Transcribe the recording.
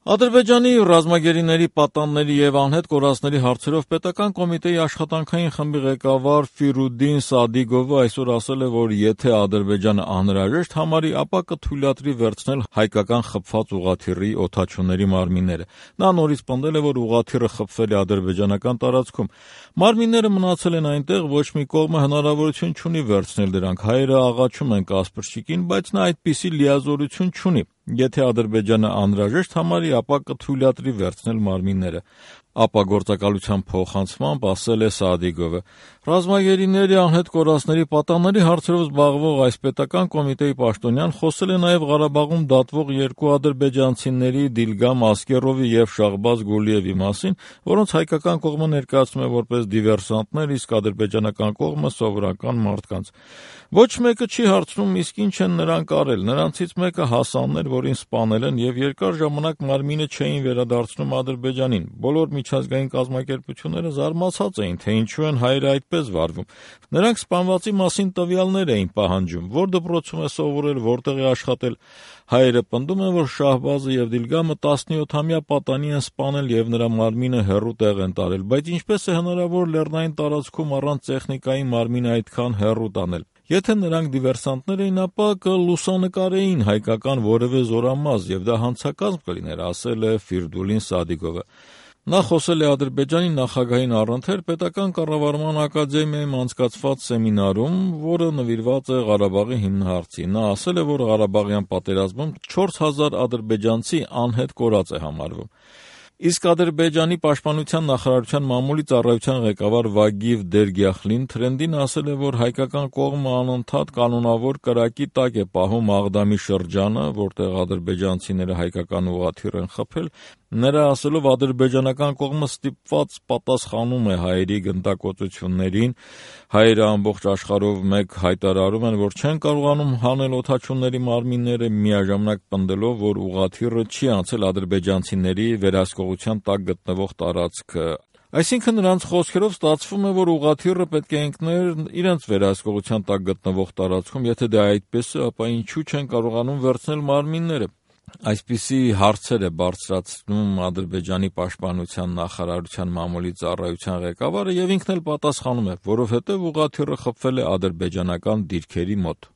Ադրբեջանի ռազմագերիների, պատանների եւ անհետ կորածների հարցերով պետական կոմիտեի աշխատանքային խմբի ղեկավար Ֆիրուդին Սադիգովը այսօր ասել է, որ եթե Ադրբեջանը անհրաժեշտ համարի, ապա կթույլատրի վերցնել հայկական խփված ուղղաթիռի օդաչուների մարմինները։ Նա նորից պնդել է, որ ուղղաթիռը խփվել է ադրբեջանական տարածքում։ Մարմինները մնացել են այնտեղ, ոչ մի կողմը հնարավորություն չունի վերցնել դրանք։ Հայերը աղաչում են Կասպրչիկին, բայց նա այդպիսի լիազորություն չունի։ Եթե Ադրբեջանը անհրաժեշտ համարի, ապա կթույլատրի վերցնել մարմինները։ Ապագործակալության փոխանցմամբ ասել է Սադիգովը։ Ռազմագերիների, անհետ կորածների, պատանների հարցերով զբաղվող այս պետական կոմիտեի պաշտոնյան խոսել է նաև Ղարաբաղում դատվող երկու ադրբեջանցիների՝ Դիլգամ Ասկերովի եւ Շահբազ Գուլիևի մասին, որոնց հայկական կողմը ներկայացնում է որպես դիվերսանտներ, իսկ ադրբեջանական կողմը սովորական մարդկանց։ Ոչ մեկը չի հարցնում, իսկ ինչ են նրանք արել։ Նրանցից մեկը Հասանն էր, որին սպանել են, եւ երկար ժամանակ մարմինը չէին վերադարձնում Ադրբեջանին։ Բոլոր միջազգային կազմակերպությունները զարմացած էին, թե ինչու են հայերը այդպես վարվում։ Նրանք սպանվածի մասին տվյալներ էին պահանջում, որ դպրոցում է սովորել, որտեղ է աշխատել։ Հայերը պնդում են, որ Շահբազը եւ Դիլգամը 17-ամյա պատանի են սպանել եւ նրա մարմինը հեռու տեղ են տարել, բայց ինչպես է հնարավոր լեռնային տարածքում առանց տեխնիկայի մարմինը այդքան հեռու տանել։ Եթե նրանք դիվերսանտներ էին, ապա կլուսանկարեին հայկական որևէ զորամաս եւ դա հանցակազմ կլիներ, ասել է Ֆիրդուլին Սադիգովը։ Նա խոսել է Ադրբեջանի նախագահին առընթեր պետական կառավարման ակադեմիայում անցկացված սեմինարում, որը նվիրված է Ղարաբաղի հիմնահարցի։ Նա ասել է, որ Ղարաբաղյան պատերազմում 4000 ադրբեջանցի անհետ կորած է համարվում։ Իսկ Ադրբեջանի պաշտպանության նախարարության մամուլի ծառայության ղեկավար Վագիվ Դերգյախլին թրենդին ասել է, որ հայկական կողմը անընդհատ կանոնավոր կրակի տակ է պահում Աղդամի շրջանը, որտեղ ադրբեջանցիները հայկական ուղղաթիռ են խփել։ Նրա ասելով, ադրբեջանական կողմը ստիպված պատասխանում է հայերի գնդակոծություններին։ Հայերը ամբողջ աշխարհով մեկ հայտարարում են, որ չեն կարողանում հանել օդաչուների մարմինները, միաժամանակ պնդելով, որ ուղղաթիռը չի անցել ադրբեջանցիների վերահսկողության տակ գտնվող տարածքը։ Այսինքն նրանց խոսքերով ստացվում է, որ ուղղաթիռը պետք է ընկներ իրենց վերահսկողության տակ գտնվող տարածքում։ Եթե դա այդպես է, ապա ինչու չեն կարողանում վերցնել մարմինները։ Այսպիսի հարցեր է բարձրացնում Ադրբեջանի պաշտպանության նախարարության մամուլի ծառայության ղեկավարը եւ ինքն էլ պատասխանում է, որովհետեւ ուղղաթիռը խփվել է ադրբեջանական դիրքերի մոտ։